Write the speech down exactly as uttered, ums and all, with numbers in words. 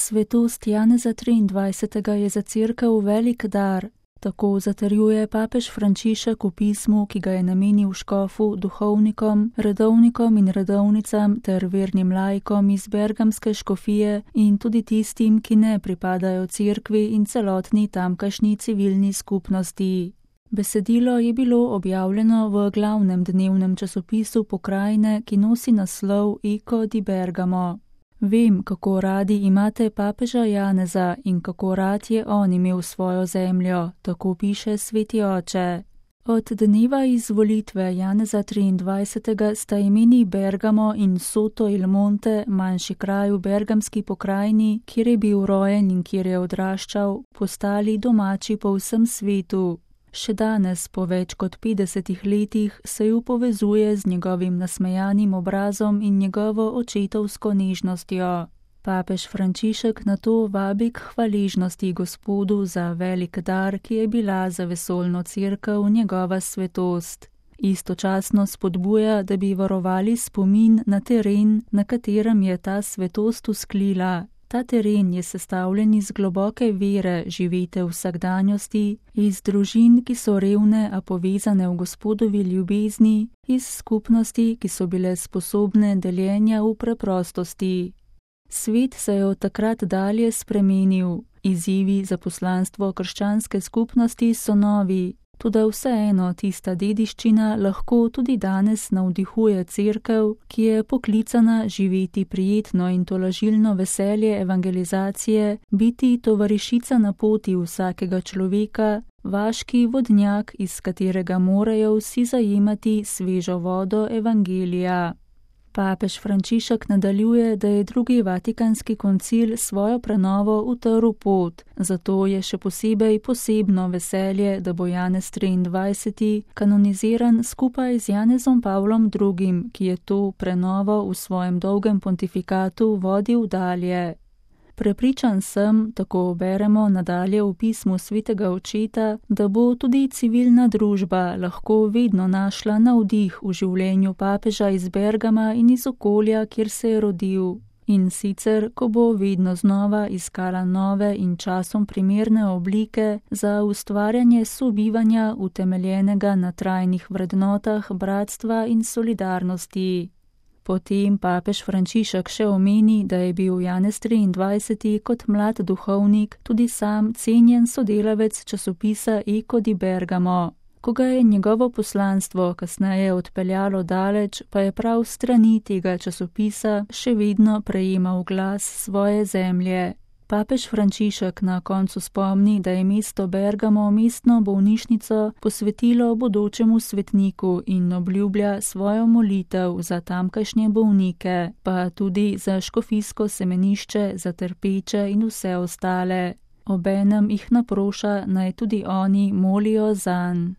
Svetost Janeza triindvajsetega je za cerkev velik dar, tako zatrjuje papež Frančišek v pismu, ki ga je namenil škofu, duhovnikom, redovnikom in redovnicam ter vernim laikom iz bergamske škofije in tudi tistim, ki ne pripadajo cerkvi in celotni tamkajšnji civilni skupnosti. Besedilo je bilo objavljeno v glavnem dnevnem časopisu pokrajine, ki nosi naslov Eco di Bergamo. Vem, kako radi imate papeža Janeza in kako rad je on imel svojo zemljo, tako piše sveti oče. Od dneva izvolitve Janeza triindvajsetega sta imeni Bergamo in Soto il Monte, manjši kraj v bergamski pokrajini, kjer je bil rojen in kjer je odraščal, postali domači po vsem svetu. Še danes, po več kot petdesetih letih, se ju povezuje z njegovim nasmejanim obrazom in njegovo očetovsko nežnostjo. Papež Frančišek nato vabi k hvaležnosti Gospodu za velik dar, ki je bila za vesoljno cerkev njegova svetost. Istočasno spodbuja, da bi varovali spomin na teren, na katerem je ta svetost vzklila. Ta teren je sestavljen iz globoke vere, živete v vsakdanjosti, iz družin, ki so revne, a povezane v Gospodovi ljubezni, iz skupnosti, ki so bile sposobne deljenja v preprostosti. Svet se je od takrat dalje spremenil, izzivi za poslanstvo krščanske skupnosti so novi, toda vseeno tista dediščina lahko tudi danes navdihuje cerkev, ki je poklicana živeti prijetno in tolažilno veselje evangelizacije, biti tovarišica na poti vsakega človeka, vaški vodnjak, iz katerega morajo vsi zajemati svežo vodo evangelija. Papež Frančišek nadaljuje, da je drugi vatikanski koncil svojo prenovo utrl pot, zato je še posebej posebno veselje, da bo Janez triindvajseti kanoniziran skupaj z Janezom Pavlom drugim, ki je to prenovo v svojem dolgem pontifikatu vodil dalje. Prepričan sem, tako beremo nadalje v pismu svetega očeta, da bo tudi civilna družba lahko vedno našla navdih v življenju papeža iz Bergama in iz okolja, kjer se je rodil. In sicer, ko bo vedno znova iskala nove in časom primerne oblike za ustvarjanje sobivanja utemeljenega na trajnih vrednotah bratstva in solidarnosti. Potem papež Frančišek še omeni, da je bil Janez triindvajseti kot mlad duhovnik tudi sam cenjen sodelavec časopisa Eco di Bergamo. Ko ga je njegovo poslanstvo kasneje odpeljalo daleč, pa je prav strani tega časopisa še vedno prejemal glas svoje zemlje. Papež Frančišek na koncu spomni, da je mesto Bergamo mestno bolnišnico posvetilo bodočemu svetniku in obljublja svojo molitev za tamkajšnje bolnike, pa tudi za škofijsko semenišče, za trpeče in vse ostale. Obenem jih naproša, naj tudi oni molijo zanj.